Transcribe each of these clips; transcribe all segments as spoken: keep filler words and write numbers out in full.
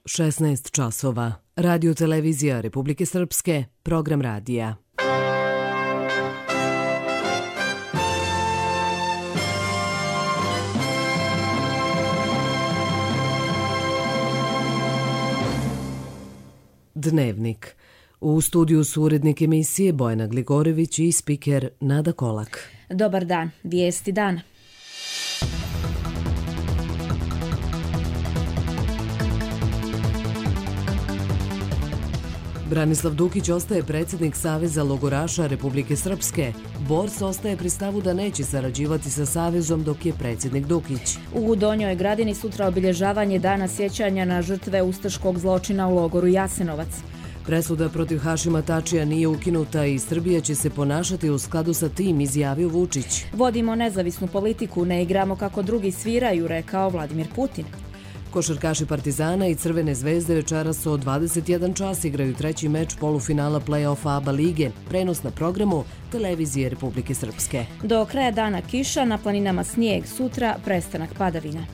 šesnaest časova. Radio televizija Republike Srpske, program radija. Dnevnik. U studiju su urednik emisije Bojana Gligorević i spiker Nada Kolak. Dobar dan, vijesti dana. Branislav Dukić ostaje predsjednik Saveza logoraša Republike Srpske. Bors ostaje pri stavu da neće sarađivati sa Savezom dok je predsjednik Dukić. U Donjoj Gradini sutra obilježavanje dana sjećanja na žrtve ustaškog zločina u logoru Jasenovac. Presuda protiv Hašima Tačija nije ukinuta i Srbija će se ponašati u skladu sa tim, izjavio Vučić. Vodimo nezavisnu politiku, ne igramo kako drugi sviraju, rekao Vladimir Putin. Košarkaši Partizana i Crvene zvezde večeras od dvadeset jedan čas igraju treći meč polufinala play-offa ABA lige. Prenos na programu Televizije Republike Srpske. Do kraja dana kiša, na planinama snijeg, sutra prestanak padavina.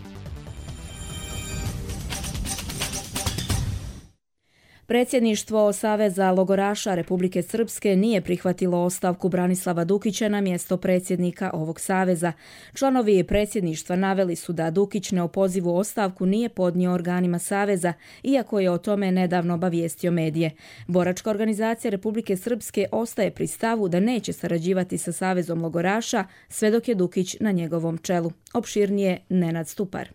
Predsjedništvo Saveza logoraša Republike Srpske nije prihvatilo ostavku Branislava Dukića na mjesto predsjednika ovog saveza. Članovi predsjedništva naveli su da Dukić neopozivu ostavku nije podnio organima saveza, iako je o tome nedavno obavijestio medije. Boračka organizacija Republike Srpske ostaje pri stavu da neće sarađivati sa Savezom logoraša sve dok je Dukić na njegovom čelu. Opširnije Nenad Stupar.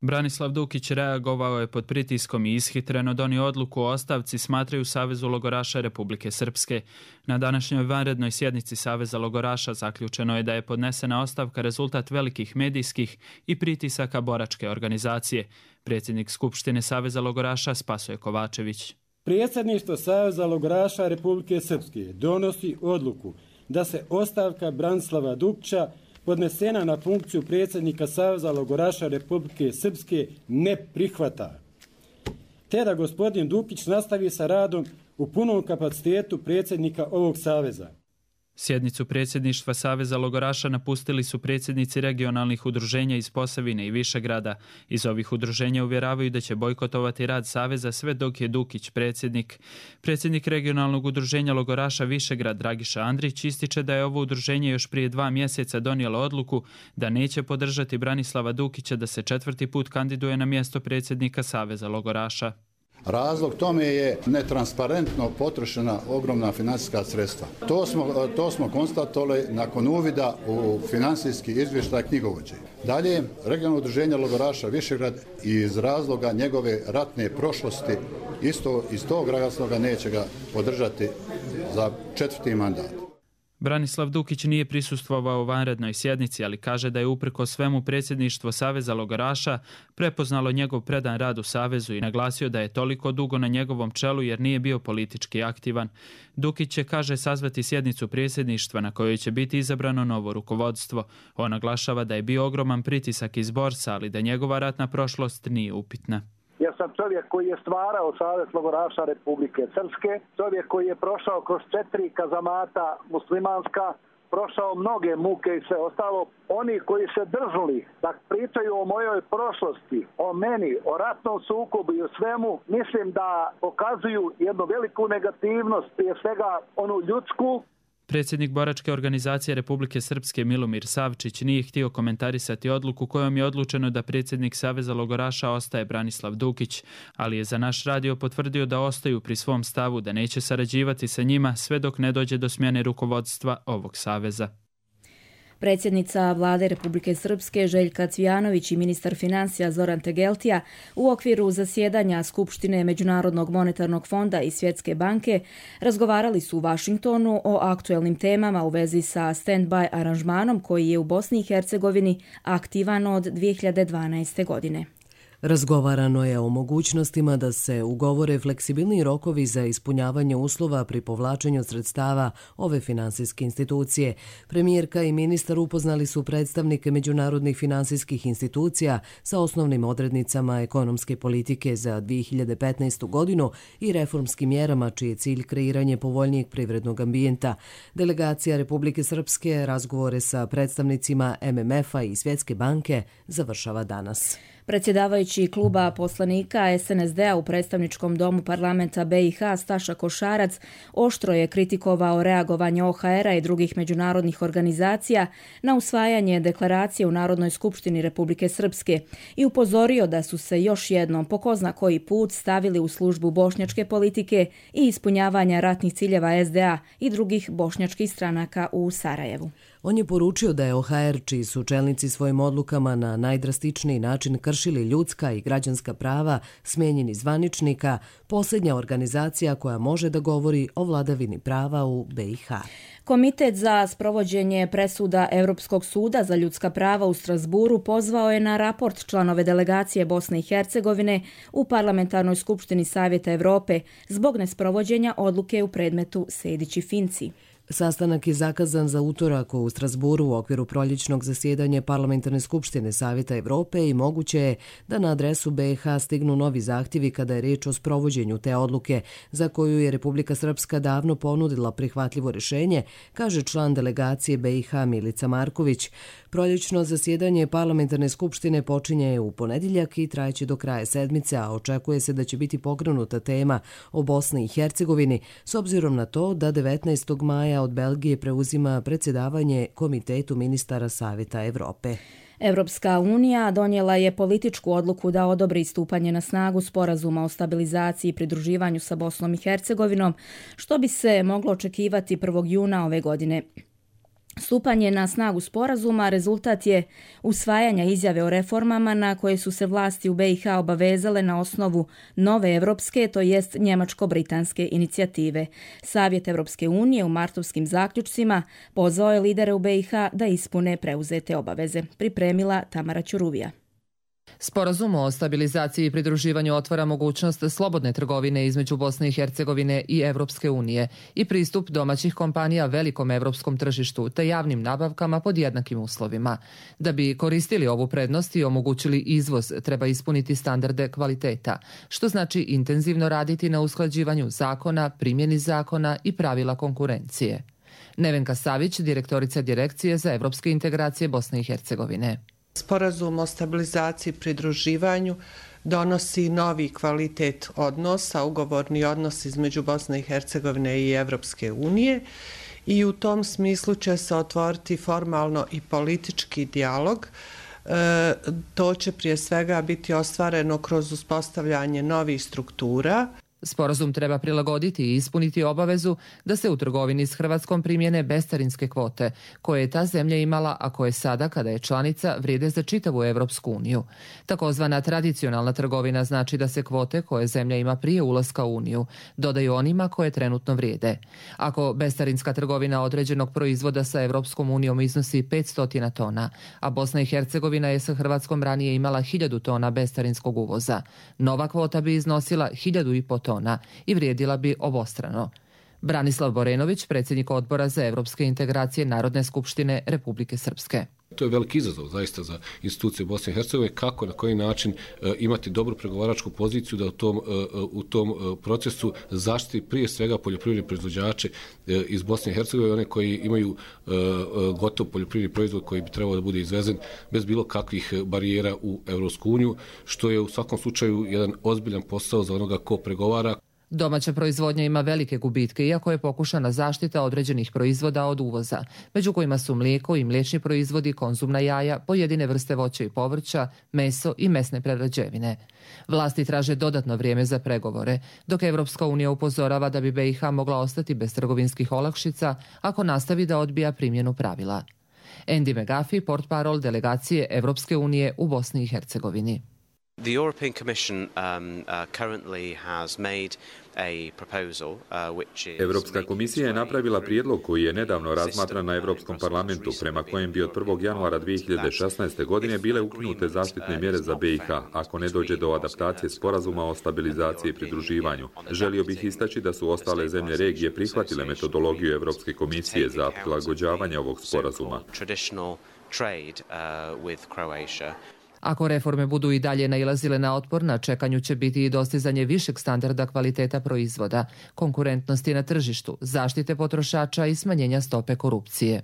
Branislav Dukić reagovao je pod pritiskom i ishitreno donio odluku o ostavci, smatraju Savezu logoraša Republike Srpske. Na današnjoj vanrednoj sjednici Saveza logoraša zaključeno je da je podnesena ostavka rezultat velikih medijskih i pritisaka boračke organizacije. Predsjednik Skupštine Saveza logoraša Spasoje Kovačević. Predsjedništvo Saveza logoraša Republike Srpske donosi odluku da se ostavka Branislava Dukića podnesena na funkciju predsjednika Saveza logoraša Republike Srpske ne prihvata, te da gospodin Dukić nastavi sa radom u punom kapacitetu predsjednika ovog saveza. Sjednicu predsjedništva Saveza logoraša napustili su predsjednici regionalnih udruženja iz Posavine i Višegrada. Iz ovih udruženja uvjeravaju da će bojkotovati rad saveza sve dok je Dukić predsjednik. Predsjednik regionalnog udruženja logoraša Višegrad Dragiša Andrić ističe da je ovo udruženje još prije dva mjeseca donijelo odluku da neće podržati Branislava Dukića da se četvrti put kandiduje na mjesto predsjednika Saveza logoraša. Razlog tome je netransparentno potrošena ogromna financijska sredstva. To smo, to smo konstatovali nakon uvida u financijski izvještaj knjigovođe. Dalje, regionalno udruženje logoraša Višegrad iz razloga njegove ratne prošlosti isto iz tog razloga neće ga podržati za četvrti mandat. Branislav Dukić nije prisustvovao vanrednoj sjednici, ali kaže da je uprko svemu predsjedništvo Saveza logoraša prepoznalo njegov predan rad u Savezu i naglasio da je toliko dugo na njegovom čelu jer nije bio politički aktivan. Dukić će, kaže, sazvati sjednicu predsjedništva na kojoj će biti izabrano novo rukovodstvo. On naglašava da je bio ogroman pritisak iz Borsa, ali da njegova ratna prošlost nije upitna. Ja sam čovjek koji je stvarao Savez logoraša Republike Srpske, čovjek koji je prošao kroz četiri kazamata muslimanska, prošao mnoge muke i sve ostalo. Oni koji se drznuli da pričaju o mojoj prošlosti, o meni, o ratnom sukobu i o svemu, mislim da pokazuju jednu veliku negativnost, prije svega onu ljudsku. Predsjednik boračke organizacije Republike Srpske Milomir Savčić nije htio komentarisati odluku kojom je odlučeno da predsjednik Saveza logoraša ostaje Branislav Dukić, ali je za naš radio potvrdio da ostaju pri svom stavu da neće sarađivati sa njima sve dok ne dođe do smjene rukovodstva ovog saveza. Predsjednica Vlade Republike Srpske Željka Cvijanović i ministar financija Zoran Tegeltija u okviru zasjedanja Skupštine Međunarodnog monetarnog fonda i Svjetske banke razgovarali su u Vašingtonu o aktuelnim temama u vezi sa stand-by aranžmanom koji je u Bosni i Hercegovini aktivan od dvije hiljade dvanaeste. godine. Razgovarano je o mogućnostima da se ugovore fleksibilni rokovi za ispunjavanje uslova pri povlačenju sredstava ove finansijske institucije. Premijerka i ministar upoznali su predstavnike međunarodnih finansijskih institucija sa osnovnim odrednicama ekonomske politike za dvije hiljade petnaestu. godinu i reformskim mjerama čiji je cilj kreiranje povoljnijeg privrednog ambijenta. Delegacija Republike Srpske razgovore sa predstavnicima M M F-a i Svjetske banke završava danas. Predsjedavajući kluba poslanika es en es de-a u predstavničkom domu parlamenta be i ha Staša Košarac oštro je kritikovao reagovanje o ha era i drugih međunarodnih organizacija na usvajanje deklaracije u Narodnoj skupštini Republike Srpske i upozorio da su se još jednom po ko zna koji put stavili u službu bošnjačke politike i ispunjavanja ratnih ciljeva es de a i drugih bošnjačkih stranaka u Sarajevu. On je poručio da je o ha er, čiji su čelnici svojim odlukama na najdrastičniji način kršili ljudska i građanska prava, smenjeni zvaničnika, posljednja organizacija koja može da govori o vladavini prava u be i ha. Komitet za sprovođenje presuda Europskog suda za ljudska prava u Strasburu pozvao je na raport članove delegacije Bosne i Hercegovine u Parlamentarnoj skupštini Savjeta Evrope zbog nesprovođenja odluke u predmetu Sejdić i Finci. Sastanak je zakazan za utorak u Strasburu u okviru proljećnog zasjedanja Parlamentarne skupštine Savjeta Evrope i moguće je da na adresu be i ha stignu novi zahtjevi kada je riječ o sprovođenju te odluke, za koju je Republika Srpska davno ponudila prihvatljivo rješenje, kaže član delegacije be i ha Milica Marković. Proljećno zasjedanje Parlamentarne skupštine počinje u ponedjeljak i trajeće do kraja sedmice, a očekuje se da će biti pokrenuta tema o Bosni i Hercegovini, s obzirom na to da devetnaestog maja od Belgije preuzima predsjedavanje Komitetu ministara Savjeta Evrope. Evropska unija donijela je političku odluku da odobri stupanje na snagu sporazuma o stabilizaciji i pridruživanju sa Bosnom i Hercegovinom, što bi se moglo očekivati prvog juna ove godine. Stupanje na snagu sporazuma rezultat je usvajanja izjave o reformama na koje su se vlasti u be i ha obavezale na osnovu nove evropske, to jest njemačko-britanske inicijative. Savjet Evropske unije u martovskim zaključcima pozvao je lidere u be i ha da ispune preuzete obaveze. Pripremila Tamara Ćuruvija. Sporazum o stabilizaciji i pridruživanju otvara mogućnost slobodne trgovine između Bosne i Hercegovine i Evropske unije i pristup domaćih kompanija velikom evropskom tržištu te javnim nabavkama pod jednakim uslovima. Da bi koristili ovu prednost i omogućili izvoz, treba ispuniti standarde kvaliteta, što znači intenzivno raditi na usklađivanju zakona, primjeni zakona i pravila konkurencije. Nevenka Savić, direktorica Direkcije za evropske integracije Bosne i Hercegovine. Sporazum o stabilizaciji i pridruživanju donosi novi kvalitet odnosa, ugovorni odnos između Bosne i Hercegovine i Evropske unije i u tom smislu će se otvoriti formalno i politički dijalog. E, to će prije svega biti ostvareno kroz uspostavljanje novih struktura. Sporazum treba prilagoditi i ispuniti obavezu da se u trgovini s Hrvatskom primjene bescarinske kvote, koje je ta zemlja imala, a koje sada, kada je članica, vrijede za čitavu Evropsku uniju. Takozvana tradicionalna trgovina znači da se kvote koje zemlja ima prije ulaska u uniju dodaju onima koje trenutno vrijede. Ako bescarinska trgovina određenog proizvoda sa Evropskom unijom iznosi petsto tona, a Bosna i Hercegovina je sa Hrvatskom ranije imala hiljadu tona bescarinskog uvoza, nova kvota bi iznosila hiljadu i po tona i vrijedila bi obostrano. Branislav Borenović, predsjednik odbora za evropske integracije Narodne skupštine Republike Srpske. To je veliki izazov zaista za institucije Bosne i Hercegovine, kako na koji način e, imati dobru pregovaračku poziciju da u tom, e, u tom e, procesu zaštiti prije svega poljoprivredne proizvođače e, iz Bosne i Hercegovine, one koji imaju e, gotov poljoprivredni proizvod koji bi trebao da bude izvezen bez bilo kakvih barijera u Evropsku uniju, što je u svakom slučaju jedan ozbiljan posao za onoga ko pregovara. Domaća proizvodnja ima velike gubitke, iako je pokušana zaštita određenih proizvoda od uvoza, među kojima su mlijeko i mliječni proizvodi, konzumna jaja, pojedine vrste voća i povrća, meso i mesne prerađevine. Vlasti traže dodatno vrijeme za pregovore, dok Evropska unija upozorava da bi be i ha mogla ostati bez trgovinskih olakšica ako nastavi da odbija primjenu pravila. Andy McGuffey, portparol delegacije Evropske unije u Bosni i Hercegovini. The European Commission um, uh, currently has made a proposal uh, which is Europska komisija je napravila prijedlog koji je nedavno razmatran na Europskom parlamentu, prema kojem bi od prvog januara dvije hiljade šesnaeste. godine bile ukinute zaštitne mjere za be i ha ako ne dođe do adaptacije sporazuma o stabilizaciji i pridruživanju. Želio bih istaći da su ostale zemlje regije prihvatile metodologiju Europske komisije za prilagođavanje ovog sporazuma. Ako reforme budu i dalje nailazile na otpor, na čekanju će biti i dostizanje višeg standarda kvaliteta proizvoda, konkurentnosti na tržištu, zaštite potrošača i smanjenja stope korupcije.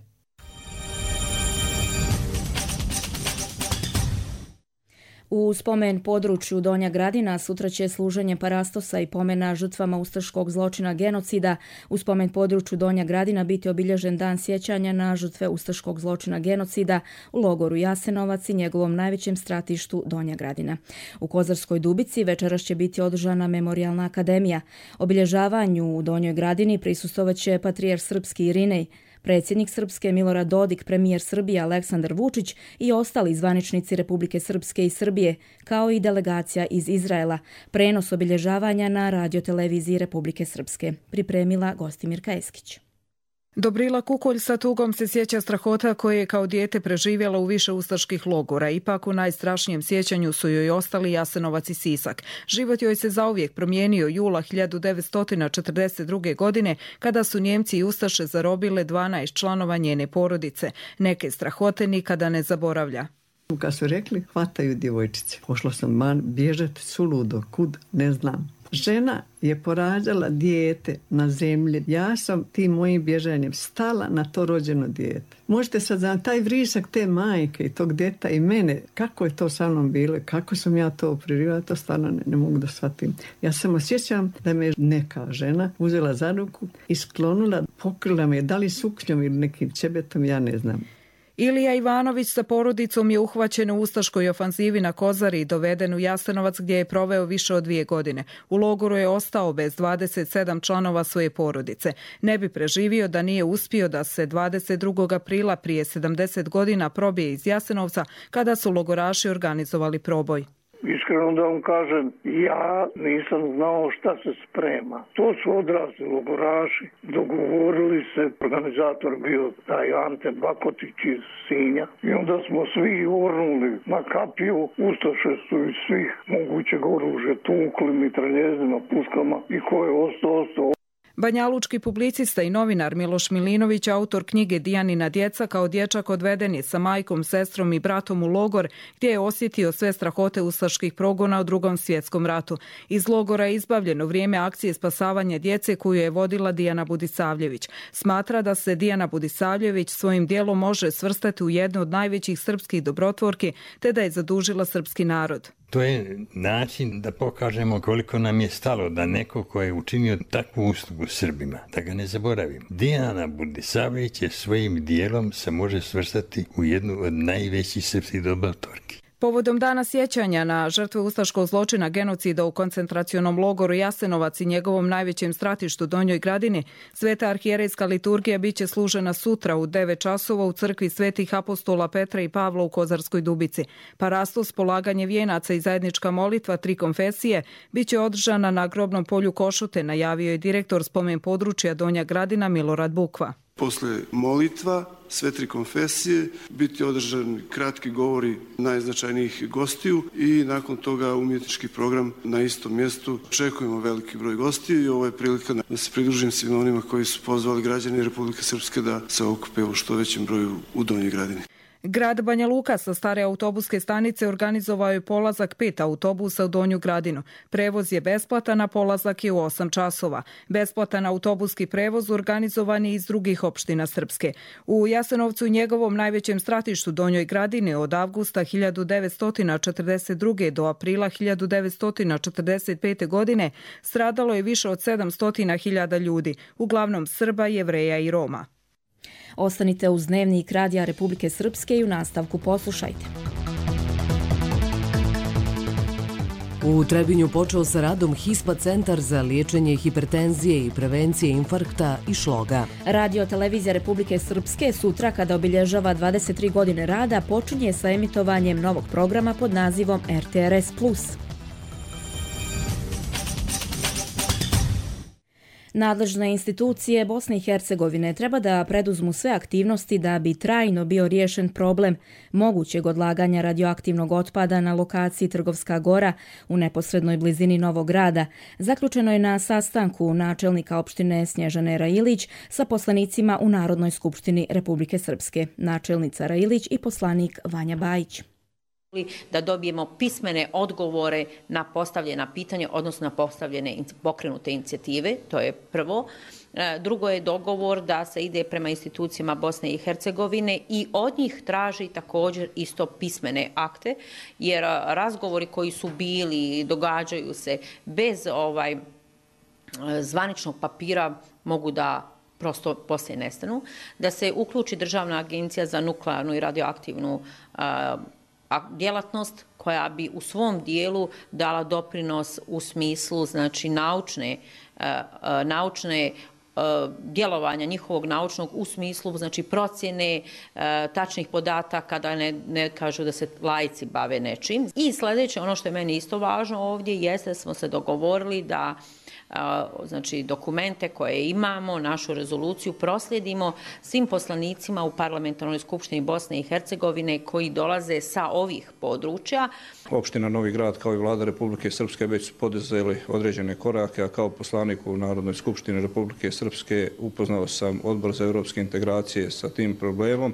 U spomen području Donja Gradina sutra će služenje parastosa i pomena žrtvama ustaškog zločina genocida. U spomen području Donja Gradina biti obilježen dan sjećanja na žrtve ustaškog zločina genocida u logoru Jasenovac i njegovom najvećem stratištu Donja Gradina. U Kozarskoj Dubici večeras će biti održana memorijalna akademija. Obilježavanju u Donjoj Gradini prisustvovaće patrijarh srpski Irinej, predsjednik Srpske Milorad Dodik, premijer Srbije Aleksandar Vučić i ostali zvaničnici Republike Srpske i Srbije, kao i delegacija iz Izraela. Prenos obilježavanja na radioteleviziji Republike Srpske pripremila Gostimirka Eskić. Dobrila Kukolj sa tugom se sjeća strahota koje je kao dijete preživjela u više ustaških logora. Ipak u najstrašnijem sjećanju su joj ostali Jasenovac i Sisak. Život joj se zauvijek promijenio jula hiljadu devetsto četrdeset druge. godine kada su Njemci i Ustaše zarobile dvanaest članova njene porodice. Neke strahote nikada ne zaboravlja. Kad su rekli hvataju djevojčice, pošla sam man bježati suludo, kud ne znam. Žena je porađala dijete na zemlji. Ja sam tim mojim bježanjem stala na to rođeno dijete. Možete sad znati taj vrisak te majke i tog djeta i mene, kako je to sa mnom bilo, kako sam ja to priživjela, to stvarno ne, ne mogu da shvatim. Ja sam osjećam da me neka žena uzela za ruku i sklonula, pokrila me, da li suknjom ili nekim čebetom, ja ne znam. Ilija Ivanović sa porodicom je uhvaćen u ustaškoj ofanzivi na Kozari i doveden u Jasenovac gdje je proveo više od dvije godine. U logoru je ostao bez dvadeset sedam članova svoje porodice. Ne bi preživio da nije uspio da se dvadeset drugog aprila prije sedamdeset godina probije iz Jasenovca kada su logoraši organizovali proboj. Iskreno da vam kažem, ja nisam znao šta se sprema. To su odrasli logoraši, dogovorili se, organizator bio taj Ante Bakotić iz Sinja i onda smo svi ornuli na kapiju, ustaše su iz svih mogućeg oružja tukli, mitraljezima, puškama i ko je ostao, ostao. Banjalučki publicista i novinar Miloš Milinović, autor knjige Dijanina djeca, kao dječak odveden je sa majkom, sestrom i bratom u logor gdje je osjetio sve strahote ustaških progona u Drugom svjetskom ratu. Iz logora je izbavljeno vrijeme akcije spasavanja djece koju je vodila Dijana Budisavljević. Smatra da se Dijana Budisavljević svojim djelom može svrstati u jednu od najvećih srpskih dobrotvorki te da je zadužila srpski narod. To je način da pokažemo koliko nam je stalo da neko ko je učinio takvu uslugu Srbima, da ga ne zaboravimo. Dijana Budisavljević je svojim dijelom se može svrstati u jednu od najvećih srpskih dobrotvorki. Povodom dana sjećanja na žrtve ustaškog zločina genocida u koncentracionom logoru Jasenovac i njegovom najvećem stratištu Donjoj Gradini, sveta arhijerejska liturgija biće služena sutra u devet časova u crkvi svetih apostola Petra i Pavla u Kozarskoj Dubici. Parastos, polaganje vijenaca i zajednička molitva tri konfesije biće održana na grobnom polju Košute, najavio je direktor spomen područja Donja Gradina Milorad Bukva. Posle molitva sve tri konfesije biti održani kratki govori najznačajnijih gostiju i nakon toga umjetnički program na istom mjestu. Očekujemo veliki broj gostiju i ovo je prilika da se pridružim svima onima koji su pozvali građani Republike Srpske da se okupe u što većem broju u Donjoj Gradini. Grad Banja Luka sa stare autobuske stanice organizovao je polazak pet autobusa u Donju Gradinu. Prevoz je besplatan, a polazak je u osam časova. Besplatan autobuski prevoz organizovan je iz drugih opština Srpske. U Jasenovcu i njegovom najvećem stratištu Donjoj Gradini od avgusta hiljadu devetsto četrdeset druge. do aprila hiljadu devetsto četrdeset pete. godine stradalo je više od sedamsto hiljada ljudi, uglavnom Srba, Jevreja i Roma. Ostanite uz Dnevnik Radija Republike Srpske i u nastavku poslušajte. U Trebinju počeo sa radom HISPA centar za liječenje hipertenzije i prevencije infarkta i šloga. Radio televizija Republike Srpske sutra, kada obilježava dvadeset tri godine rada, počinje sa emitovanjem novog programa pod nazivom R T R S plus. Nadležne institucije Bosne i Hercegovine treba da preduzmu sve aktivnosti da bi trajno bio riješen problem mogućeg odlaganja radioaktivnog otpada na lokaciji Trgovska Gora u neposrednoj blizini Novog Grada. Zaključeno je na sastanku načelnika opštine Snježane Railić sa poslanicima u Narodnoj skupštini Republike Srpske, načelnica Railić i poslanik Vanja Bajić. da dobijemo pismene odgovore na postavljena pitanja, odnosno na postavljene pokrenute inicijative, to je prvo. Drugo je dogovor da se ide prema institucijama Bosne i Hercegovine i od njih traži također isto pismene akte, jer razgovori koji su bili, događaju se bez ovaj zvaničnog papira mogu da prosto poslije nestanu, da se uključi Državna agencija za nuklearnu i radioaktivnu a, a, djelatnost koja bi u svom dijelu dala doprinos u smislu znači naučne, a, a, naučne djelovanja njihovog naučnog u smislu znači procjene e, tačnih podataka, da ne, ne kažu da se laici bave nečim. I sljedeće, ono što je meni isto važno ovdje, jeste da smo se dogovorili da a, znači dokumente koje imamo, našu rezoluciju proslijedimo svim poslanicima u Parlamentarnoj skupštini Bosne i Hercegovine koji dolaze sa ovih područja. Opština Novi Grad kao i vlada Republike Srpske već su poduzeli određene korake, a kao poslanik u Narodnoj skupštini Republike Srpske upoznao sam Odbor za evropske integracije sa tim problemom,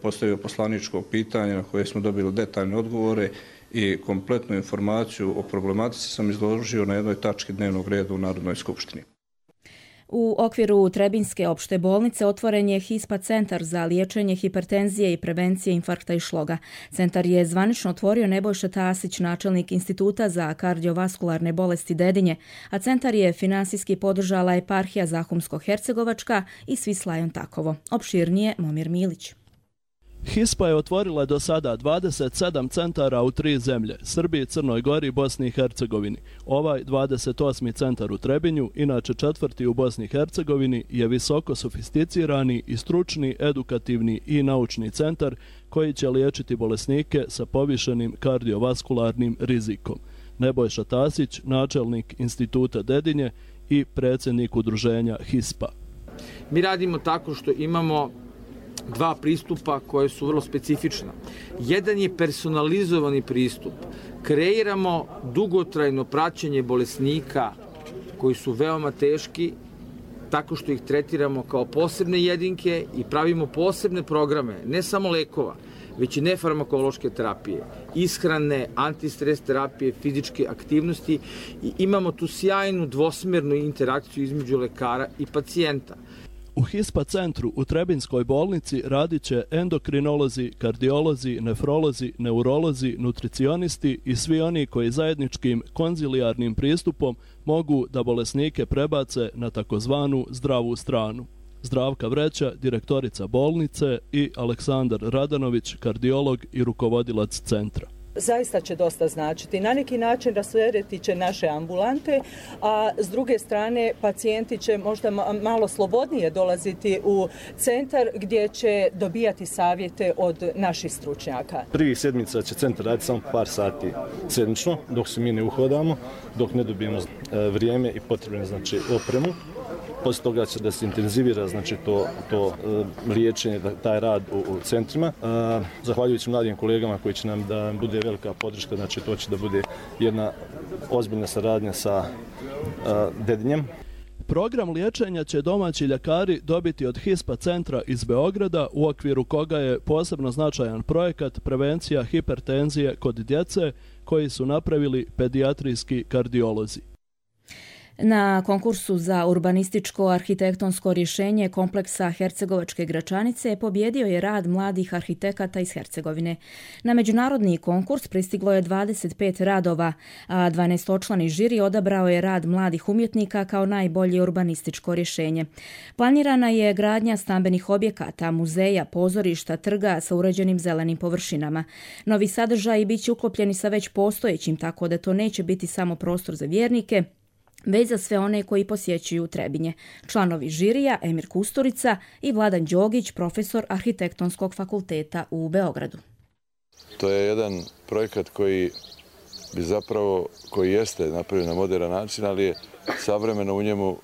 postavio poslaničko pitanje na koje smo dobili detaljne odgovore i kompletnu informaciju o problematici sam izložio na jednoj tački dnevnog reda u Narodnoj skupštini. U okviru Trebinjske opšte bolnice otvoren je HISPA centar za liječenje hipertenzije i prevencije infarkta i šloga. Centar je zvanično otvorio Nebojša Tasić, načelnik Instituta za kardiovaskularne bolesti Dedinje, a centar je finansijski podržala eparhija Zahumsko-Hercegovačka i Svislajon Takovo. Opširnije Momir Milić. HISPA je otvorila do sada dvadeset sedam centara u tri zemlje, Srbiji, Crnoj Gori i Bosni i Hercegovini. Ovaj dvadeset osmi centar u Trebinju, inače četvrti u Bosni i Hercegovini, je visoko sofisticirani i stručni, edukativni i naučni centar koji će liječiti bolesnike sa povišenim kardiovaskularnim rizikom. Nebojša Tasić, načelnik Instituta Dedinje i predsjednik udruženja HISPA. Mi radimo tako što imamo dva pristupa koje su vrlo specifična. Jedan je personalizovani pristup. Kreiramo dugotrajno praćenje bolesnika koji su veoma teški, tako što ih tretiramo kao posebne jedinke i pravimo posebne programe, ne samo lekova, već i nefarmakološke terapije, ishrane, antistres terapije, fizičke aktivnosti i imamo tu sjajnu dvosmjernu interakciju između lekara i pacijenta. U HISPA centru u Trebinjskoj bolnici radit će endokrinolozi, kardiolozi, nefrolozi, neurolozi, nutricionisti i svi oni koji zajedničkim konzilijarnim pristupom mogu da bolesnike prebace na takozvanu zdravu stranu. Zdravka Vreća, direktorica bolnice, i Aleksandar Radanović, kardiolog i rukovodilac centra. Zaista će dosta značiti. Na neki način rasteretiti će naše ambulante, a s druge strane pacijenti će možda malo slobodnije dolaziti u centar gdje će dobijati savjete od naših stručnjaka. Prvih sedmica će centar raditi samo par sati sedmično, dok se mi ne uhodamo, dok ne dobijemo vrijeme i potrebne znači, opremu. Poslije toga će da se intenzivira znači, to, to uh, liječenje, taj rad u, u centrima. Uh, zahvaljujući mladim kolegama koji će nam da bude velika podrška, znači to će da bude jedna ozbiljna saradnja sa uh, Dedinjem. Program liječenja će domaći ljekari dobiti od HISPA centra iz Beograda, u okviru koga je posebno značajan projekat prevencija hipertenzije kod djece koji su napravili pedijatrijski kardiolozi. Na konkursu za urbanističko arhitektonsko rješenje kompleksa Hercegovačke Gračanice pobjedio je rad mladih arhitekata iz Hercegovine. Na međunarodni konkurs pristiglo je dvadeset pet radova, a dvanaestočlani žiri odabrao je rad mladih umjetnika kao najbolje urbanističko rješenje. Planirana je gradnja stambenih objekata, muzeja, pozorišta, trga sa uređenim zelenim površinama. Novi sadržaji bit će uklopljeni sa već postojećim, tako da to neće biti samo prostor za vjernike, već za sve one koji posjećuju Trebinje. Članovi žirija Emir Kusturica i Vladan Đogić, profesor Arhitektonskog fakulteta u Beogradu. To je jedan projekat koji bi zapravo, koji jeste napravljen na moderan način, ali je savremeno u njemu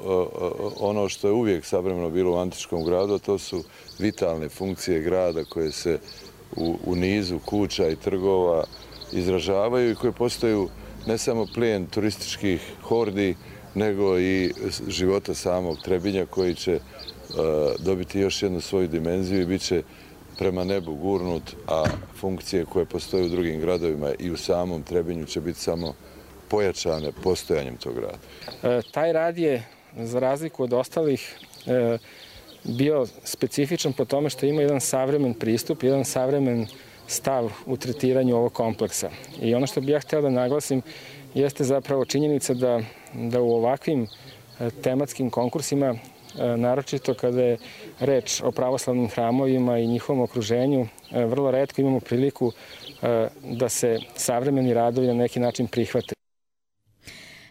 ono što je uvijek savremeno bilo u antičkom gradu, to su vitalne funkcije grada koje se u, u nizu kuća i trgova izražavaju i koje postaju ne samo plijen turističkih hordi, nego i života samog Trebinja koji će uh, dobiti još jednu svoju dimenziju i bit će prema nebu gurnut, a funkcije koje postoje u drugim gradovima i u samom Trebinju će biti samo pojačane postojanjem tog rada. E, taj rad je, za razliku od ostalih, e, bio specifičan po tome što ima jedan savremen pristup, jedan savremen stav u tretiranju ovog kompleksa. I ono što bih ja htio da naglasim jeste zapravo činjenica da, da u ovakvim tematskim konkursima, naročito kada je reč o pravoslavnim hramovima i njihovom okruženju, vrlo retko imamo priliku da se savremeni radovi na neki način prihvate.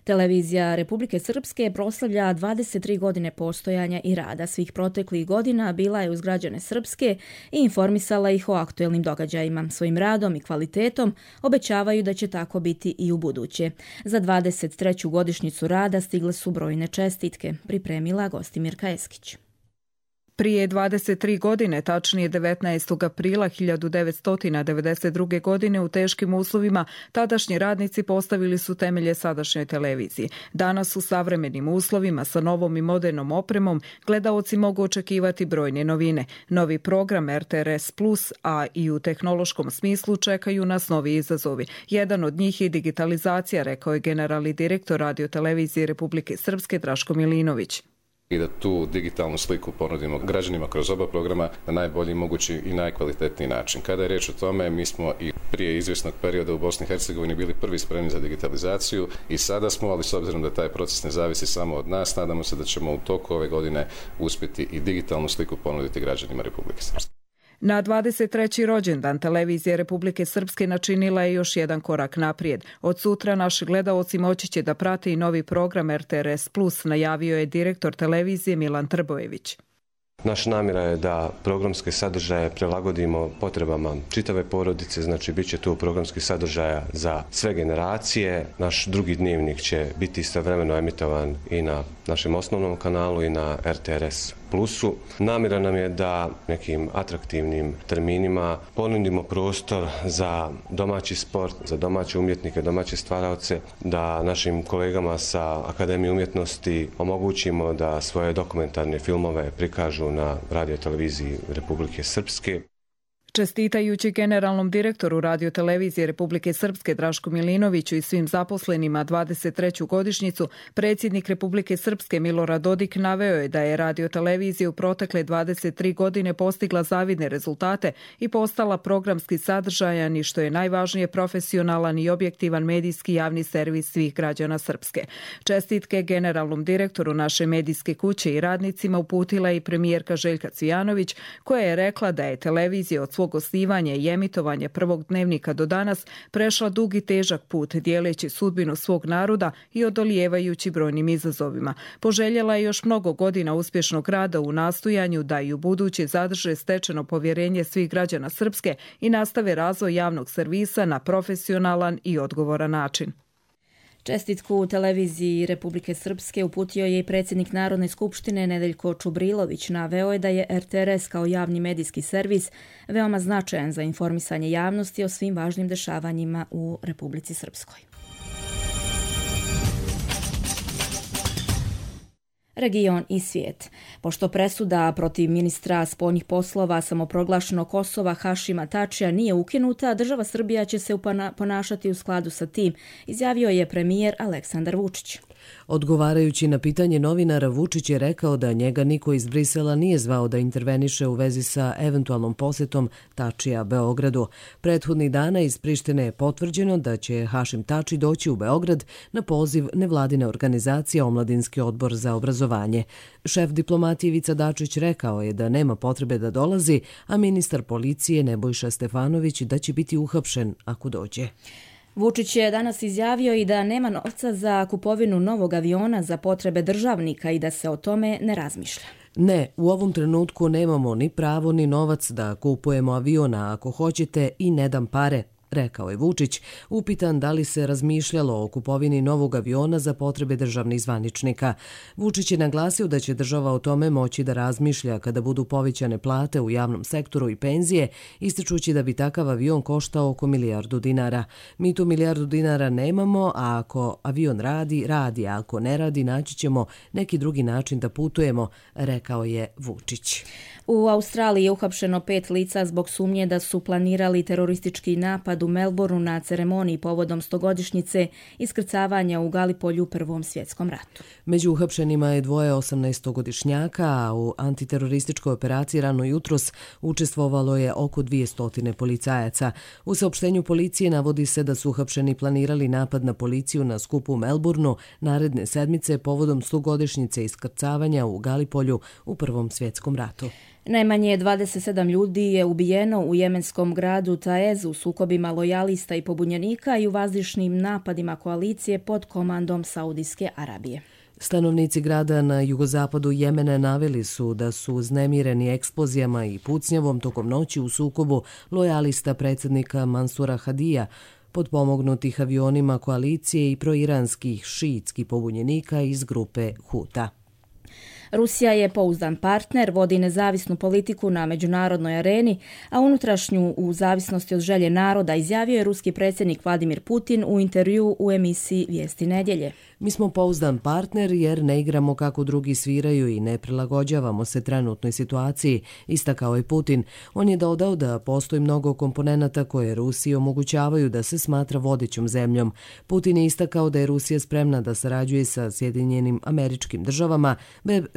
Televizija Republike Srpske proslavlja dvadeset tri godine postojanja i rada. Svih proteklih godina bila je uz građane Srpske i informisala ih o aktuelnim događajima. Svojim radom i kvalitetom obećavaju da će tako biti i u buduće. Za dvadeset treću godišnjicu rada stigle su brojne čestitke, pripremila Gostimirka Eskić. Prije dvadeset tri godine, tačnije devetnaestog aprila hiljadu devetsto devedeset druge. godine, u teškim uslovima tadašnji radnici postavili su temelje sadašnjoj televiziji. Danas u savremenim uslovima sa novom i modernom opremom gledaoci mogu očekivati brojne novine. Novi program R T R S plus, a i u tehnološkom smislu čekaju nas novi izazovi. Jedan od njih je digitalizacija, rekao je generalni direktor radiotelevizije Republike Srpske Draško Milinović. I da tu digitalnu sliku ponudimo građanima kroz oba programa na najbolji mogući i najkvalitetniji način. Kada je reč o tome, mi smo i prije izvjesnog perioda u Bosni i Hercegovini bili prvi spremni za digitalizaciju i sada smo, ali s obzirom da taj proces ne zavisi samo od nas, nadamo se da ćemo u toku ove godine uspjeti i digitalnu sliku ponuditi građanima Republike Srpske. Na dvadeset treći rođendan televizije Republike Srpske načinila je još jedan korak naprijed. Od sutra naši gledaoci moći će da prate i novi program R T R S plus, najavio je direktor televizije Milan Trbojević. Naša namjera je da programske sadržaje prilagodimo potrebama čitave porodice, znači bit će tu programskih sadržaja za sve generacije. Naš drugi dnevnik će biti istovremeno emitovan i na našem osnovnom kanalu i na R T R S plusu. Namjera nam je da nekim atraktivnim terminima ponudimo prostor za domaći sport, za domaće umjetnike, domaće stvaraoce, da našim kolegama sa Akademije umjetnosti omogućimo da svoje dokumentarne filmove prikažu na radioteleviziji Republike Srpske. Čestitajući generalnom direktoru radiotelevizije Republike Srpske Draško Milinoviću i svim zaposlenima dvadeset treću godišnjicu, predsjednik Republike Srpske Milorad Dodik naveo je da je radiotelevizija u protekle dvadeset tri godine postigla zavidne rezultate i postala programski sadržajan i, što je najvažnije, profesionalan i objektivan medijski javni servis svih građana Srpske. Čestitke generalnom direktoru naše medijske kuće i radnicima uputila i premijerka Željka Cvijanović, koja je rekla da je televizija od svog osnivanja i emitovanja prvog dnevnika do danas prešla dug i težak put, dijeleći sudbinu svog naroda i odolijevajući brojnim izazovima. Poželjela je još mnogo godina uspješnog rada u nastojanju da i u buduće zadrže stečeno povjerenje svih građana Srpske i nastave razvoj javnog servisa na profesionalan i odgovoran način. Čestitku u televiziji Republike Srpske uputio je i predsjednik Narodne skupštine Nedeljko Čubrilović. Naveo je da je R T R S kao javni medijski servis veoma značajan za informisanje javnosti o svim važnim dešavanjima u Republici Srpskoj. Region i svijet. Pošto presuda protiv ministra spoljnih poslova samoproglašenog Kosova Hašima Tačija nije ukinuta, država Srbija će se ponašati u skladu sa tim, izjavio je premijer Aleksandar Vučić. Odgovarajući na pitanje novinara, Vučić je rekao da njega niko iz Brisela nije zvao da interveniše u vezi sa eventualnom posjetom Tačija Beogradu. Prethodnih dana iz Prištine je potvrđeno da će Hašim Tači doći u Beograd na poziv nevladine organizacije Omladinski odbor za obrazovanje. Šef diplomatije Ivica Dačić rekao je da nema potrebe da dolazi, a ministar policije Nebojša Stefanović da će biti uhapšen ako dođe. Vučić je danas izjavio i da nema novca za kupovinu novog aviona za potrebe državnika i da se o tome ne razmišlja. Ne, u ovom trenutku nemamo ni pravo ni novac da kupujemo aviona, ako hoćete, i ne dam pare, rekao je Vučić, upitan da li se razmišljalo o kupovini novog aviona za potrebe državnih zvaničnika. Vučić je naglasio da će država o tome moći da razmišlja kada budu povećane plate u javnom sektoru i penzije, ističući da bi takav avion koštao oko milijardu dinara. Mi tu milijardu dinara nemamo, a ako avion radi, radi, a ako ne radi, naći ćemo neki drugi način da putujemo, rekao je Vučić. U Australiji je uhapšeno pet lica zbog sumnje da su planirali teroristički napad u Melbourneu na ceremoniji povodom stogodišnjice iskrcavanja u Galipolju u Prvom svjetskom ratu. Među uhapšenima je dvoje osamnaestogodišnjaka, a u antiterorističkoj operaciji rano jutros učestvovalo je oko dvjesto policajaca. U saopštenju policije navodi se da su uhapšeni planirali napad na policiju na skupu u Melbourneu naredne sedmice povodom stogodišnjice iskrcavanja u Galipolju u Prvom svjetskom ratu. Najmanje dvadeset sedam ljudi je ubijeno u jemenskom gradu Taez u sukobima lojalista i pobunjenika i u vazdušnim napadima koalicije pod komandom Saudijske Arabije. Stanovnici grada na jugozapadu Jemena naveli su da su uznemireni eksplozijama i pucnjavom tokom noći u sukobu lojalista predsjednika Mansura Hadija, potpomognutih avionima koalicije i proiranskih šiitskih pobunjenika iz grupe Huta. Rusija je pouzdan partner, vodi nezavisnu politiku na međunarodnoj areni, a unutrašnju u zavisnosti od želje naroda, izjavio je ruski predsjednik Vladimir Putin u intervju u emisiji Vijesti nedjelje. Mi smo pouzdan partner jer ne igramo kako drugi sviraju i ne prilagođavamo se trenutnoj situaciji, istakao je Putin. On je dodao da postoji mnogo komponenata koje Rusiji omogućavaju da se smatra vodećom zemljom. Putin je istakao da je Rusija spremna da sarađuje sa Sjedinjenim Američkim Državama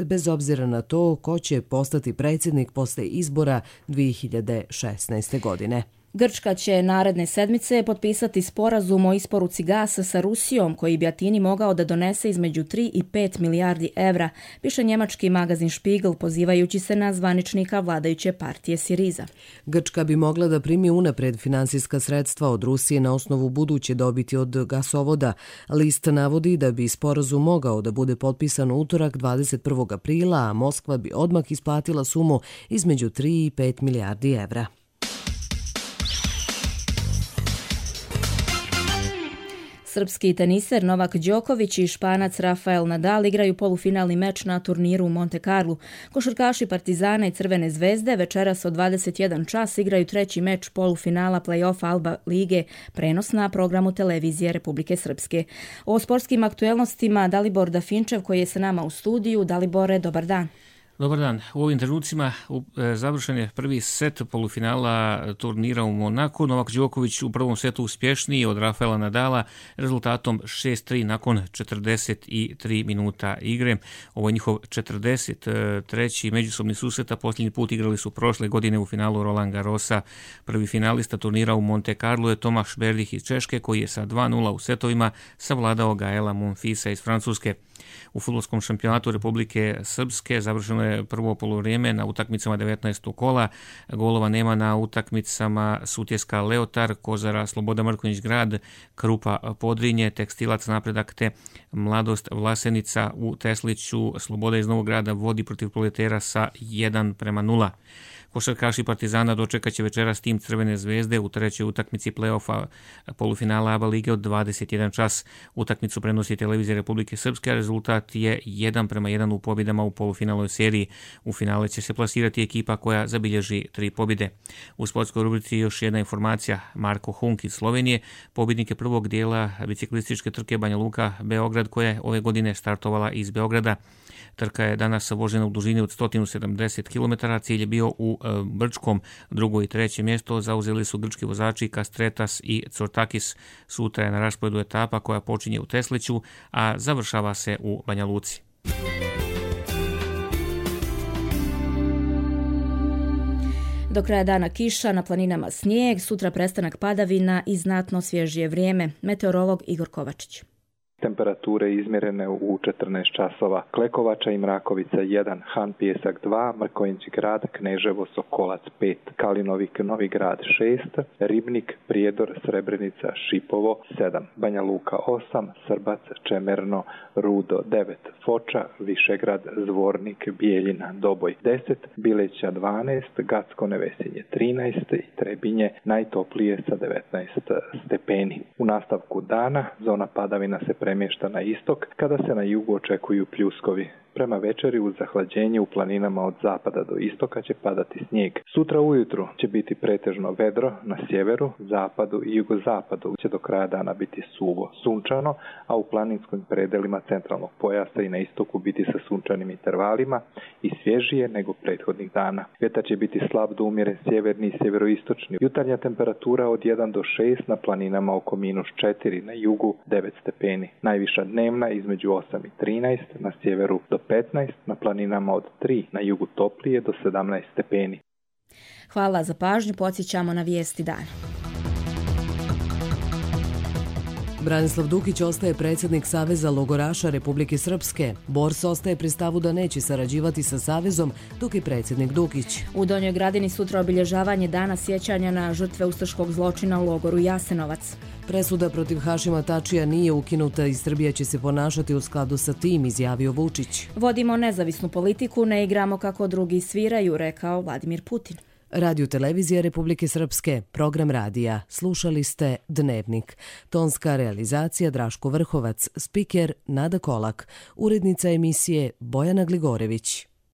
bez obzira na to ko će postati predsjednik posle izbora dvije hiljade šesnaeste. godine. Grčka će naredne sedmice potpisati sporazum o isporuci gasa sa Rusijom koji bi Atini mogao da donese između tri i pet milijardi evra, piše njemački magazin Spiegel pozivajući se na zvaničnika vladajuće partije Siriza. Grčka bi mogla da primi unapred finansijska sredstva od Rusije na osnovu buduće dobiti od gasovoda. List navodi da bi sporazum mogao da bude potpisan u utorak dvadeset prvog aprila, a Moskva bi odmah isplatila sumu između tri i pet milijardi evra. Srpski teniser Novak Đoković i Španac Rafael Nadal igraju polufinalni meč na turniru u Monte Carlu. Košarkaši Partizana i Crvene zvezde večeras od dvadeset jedan čas igraju treći meč polufinala play-offa Alba lige, prenos na programu televizije Republike Srpske. O sportskim aktuelnostima Dalibor Dafinčev koji je sa nama u studiju. Dalibore, dobar dan. Dobar dan. U ovim trenucima završen je prvi set polufinala turnira u Monaku. Novak Đoković u prvom setu uspješniji od Rafaela Nadala rezultatom šest tri nakon četrdeset tri minuta igre. Ovo je njihov četrdeset treći međusobni susret, a posljednji put igrali su prošle godine u finalu Roland Garrosa. Prvi finalista turnira u Monte Carlo je Tomaš Berdych iz Češke koji je sa dva nula u setovima savladao Gaela Monfilsa iz Francuske. U fudbalskom šampionatu Republike Srpske završeno je prvo poluvrijeme na utakmicama devetnaestog kola. Golova nema na utakmicama Sutjeska Leotar, Kozara Sloboda Mrkonjić Grad, Krupa Podrinje, Tekstilac Napredak te Mladost Vlasenica u Tesliću. Sloboda iz Novog Grada vodi protiv Proletera sa jedan prema nula. Košarkaši Partizana dočekat će večeras tim Crvene zvezde u trećoj utakmici play-offa polufinala A B A lige od dvadeset jedan čas. Utakmicu prenosi televizija Republike Srpske, a rezultat je jedan prema jedan u pobjedama u polufinalnoj seriji. U finale će se plasirati ekipa koja zabilježi tri pobjede. U sportskoj rubrici još jedna informacija. Marko Hunk iz Slovenije, pobjednik je prvog dijela biciklističke trke Banja Luka Beograd koja je ove godine startovala iz Beograda. Trka je danas vožena u dužini od sto sedamdeset kilometara, cilj je bio u e, Brčkom, drugo i treće mjesto zauzeli su grčki vozači Kastretas i Cortakis. Sutra je na rasporedu etapa koja počinje u Tesliću, a završava se u Banja Luci. Do kraja dana kiša, na planinama snijeg, sutra prestanak padavina i znatno svježije vrijeme. Meteorolog Igor Kovačić. Temperature izmjerene u četrnaest časova. Klekovača i Mrakovica jedan, Han Pijesak dva, Mrkonjić Grad, Kneževo, Sokolac pet, Kalinovik, Novi Grad šest, Ribnik, Prijedor, Srebrenica, Šipovo sedam, Banja Luka osam, Srbac, Čemerno, Rudo devet, Foča, Višegrad, Zvornik, Bijeljina, Doboj deset, Bileća dvanaest, Gacko Nevesinje trinaest i Trebinje najtoplije sa devetnaest stepeni. U nastavku dana zona padavina se premješta na istok kada se na jugu očekuju pljuskovi. Prema večeri uz zahlađenje u planinama od zapada do istoka će padati snijeg. Sutra ujutru će biti pretežno vedro, na sjeveru, zapadu i jugozapadu će do kraja dana biti suvo, sunčano, a u planinskim predelima centralnog pojasa i na istoku biti sa sunčanim intervalima i svježije nego prethodnih dana. Vjetar će biti slab do umjeren sjeverni i sjeveroistočni. Jutarnja temperatura od jedan do šest, na planinama oko minus četiri, na jugu devet stepeni. Najviša dnevna između osam i trinaest, na sjeveru do petnaest, na planinama od tri, na jugu toplije do sedamnaest stepeni. Hvala za pažnju, podsjećamo na vijesti dana. Branislav Dukić ostaje predsjednik Saveza logoraša Republike Srpske. Bors ostaje pri stavu da neće sarađivati sa Savezom, dok je predsjednik Dukić. U Donjoj Gradini sutra obilježavanje dana sjećanja na žrtve ustaškog zločina u logoru Jasenovac. Presuda protiv Hašima Tačija nije ukinuta i Srbija će se ponašati u skladu sa tim, izjavio Vučić. Vodimo nezavisnu politiku, ne igramo kako drugi sviraju, rekao Vladimir Putin. Radio Televizija Republike Srpske, program radija. Slušali ste Dnevnik. Tonska realizacija Draško Vrhovac, spiker Nada Kolak, urednica emisije Bojana Gligorević.